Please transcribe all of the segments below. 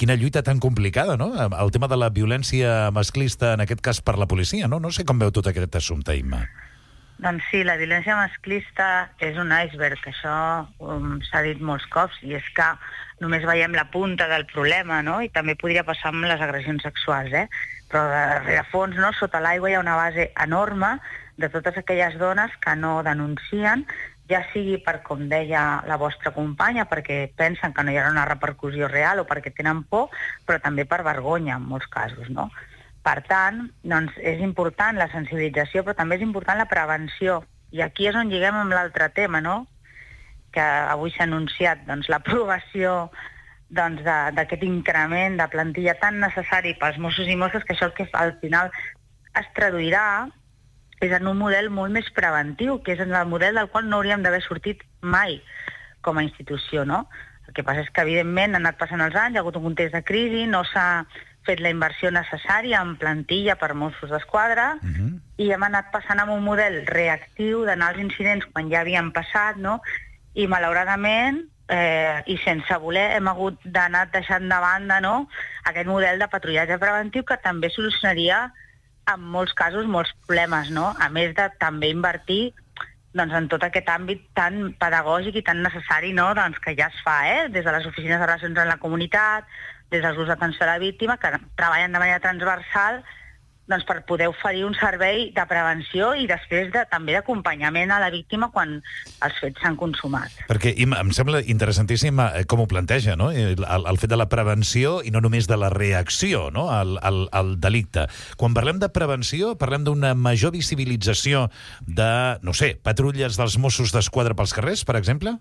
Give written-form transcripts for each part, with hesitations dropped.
Quina lluita tan complicada, no? El tema de la violència masclista, en aquest cas per la policia, no? No sé com veu tot aquest assumpte, Imma. Doncs sí, la violència masclista és un iceberg, això s'ha dit molts cops, i és que només veiem la punta del problema, no? I també podria passar amb les agressions sexuals, Però de fons, no? Sota l'aigua hi ha una base enorme de totes aquelles dones que no denuncien, ja sigui per, com deia la vostra companya, perquè pensen que no hi haurà una repercussió real o perquè tenen por, però també per vergonya, en molts casos, no? Per tant, doncs, és important la sensibilització, però també és important la prevenció. I aquí és on lliguem amb l'altre tema, no? Que avui s'ha anunciat l'aprovació d'aquest increment de plantilla tan necessari pels Mossos i Mosses, que això el que al final es traduirà és en un model molt més preventiu, que és en el model del qual no hauríem d'haver sortit mai com a institució, no? El que passa és que, evidentment, han anat passant els anys, hi ha hagut un context de crisi, no s'ha fet la inversió necessària en plantilla per Mossos d'Esquadra, i hem anat passant amb un model reactiu d'anar als incidents quan ja havien passat, no? I, malauradament, i sense voler, hem hagut d'anar deixant de banda, no?, aquest model de patrullatge preventiu que també solucionaria en molts casos molts problemes, no? A més de també invertir en tot aquest àmbit tan pedagògic i tan necessari, no?, que ja es fa, des de les oficines de relacions amb la comunitat, des dels grups d'atenció a la víctima, que treballen de manera transversal per poder oferir un servei de prevenció i després també d'acompanyament a la víctima quan els fets s'han consumat. Perquè em sembla interessantíssim com ho planteja, no? El fet de la prevenció i no només de la reacció, no?, al delicte. Quan parlem de prevenció, parlem d'una major visibilització de, no sé, patrulles dels Mossos d'Esquadra pels carrers, per exemple?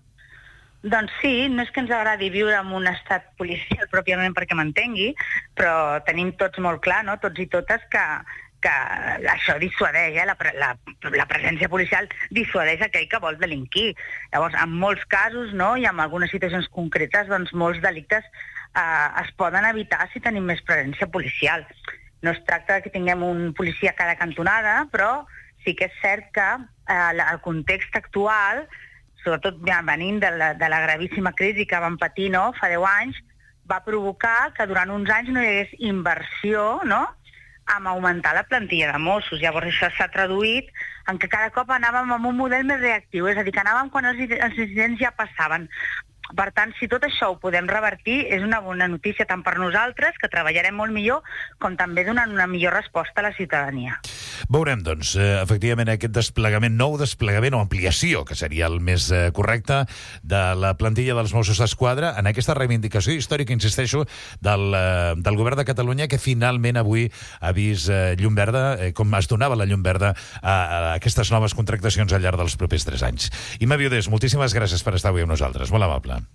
Doncs sí, no és que ens agradi viure en un estat policial pròpiament perquè m'entengui, però tenim tots molt clar, no?, tots i totes, que això dissuadeix, la presència policial dissuadeix aquell que vol delinquir. Llavors, en molts casos, no?, i en algunes situacions concretes, doncs molts delictes es poden evitar si tenim més presència policial. No es tracta que tinguem un policia a cada cantonada, però sí que és cert que el context actual, sobretot venint de la gravíssima crisi que vam patir, no?, fa 10 anys, va provocar que durant uns anys no hi hagués inversió, no?, en augmentar la plantilla de Mossos. Llavors això s'ha traduït en que cada cop anàvem amb un model més reactiu, és a dir, que anàvem quan els incidents ja passaven. Per tant, si tot això ho podem revertir, és una bona notícia tant per nosaltres, que treballarem molt millor, com també donant una millor resposta a la ciutadania. Veurem, doncs, efectivament, aquest desplegament, nou desplegament o ampliació, que seria el més correcte, de la plantilla dels Mossos d'Esquadra en aquesta reivindicació històrica, insisteixo, del govern de Catalunya, que finalment avui ha vist llum verda, com es donava la llum verda a aquestes noves contractacions al llarg dels propers 3 anys. Imma Viudés, moltíssimes gràcies per estar avui amb nosaltres. Molt amable.